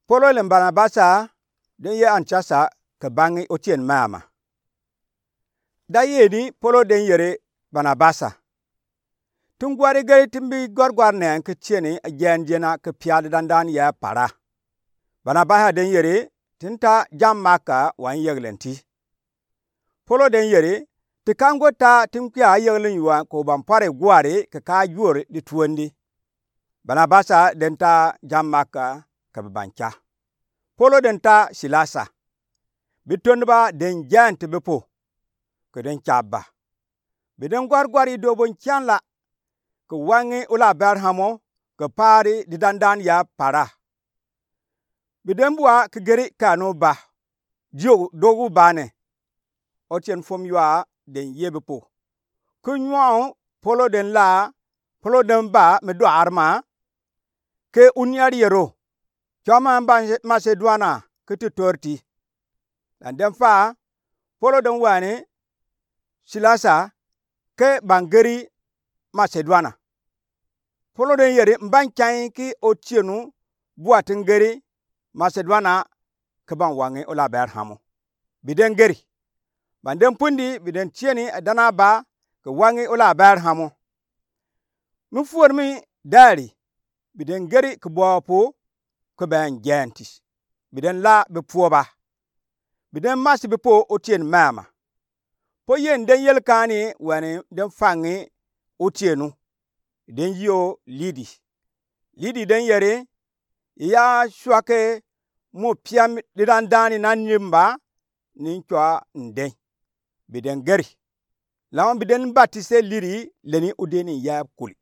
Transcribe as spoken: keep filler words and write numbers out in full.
Polo le Banabasa den ye Antiasa ke bangi otien mama. Da yeni Polo den yeri Banabasa: Tin gwari gari tin bi gwargwar nɛn ke tieni a jɛn jena ke pia di dandan ya para. Banabasa den yeri: Tin ta jam Maka wa n yeglen ti. Polo den yeri: Ti kan go ta tin kwia a yeglen yuan ko ban pare gwari ke ka juri di tuondi. Banabasa den ta jam Maka ke bi ban ca. Polo den ta Silasa. Bi tuondi ba den jɛn ti bi po ke den ca ba. Bi den gwargwar i dobon cian la ke wangi ola Berhamo ke pari di dandan ya para. Bi den bua ke geri kanu ba. Dio dogu bane. Otien fom yua den ye bi po. Ke nyuɔn Polo den la, Polo den ba mi dua arma ke unia riero. Cɔma n ba Maseduana ke ti torti. Dan den fa Polo den wani Silasa ke ban geri Maseduana. Polo den yeri: N ban canyi ki otienu bua tin geri Maseduana ke ban wangi ola Berhamo. Bi den geri. Ban den pundi bi den tieni a dana ba ke wangi ola Berhamo. Mi fuor mi dari bi den geri ke bua po ke ben jɛnti. Bi den la bi puo ba. Bi den masi bi po otien mama. Po yen den yeli kani wani den fangi otienu. Den yio Lidi. Lidi den yeri: I ya sua ke mo pia mi di dandan ni na nimba ni n cua n den. Bi den geri. Lama bi den batise Lidi leni odeni ya kuli.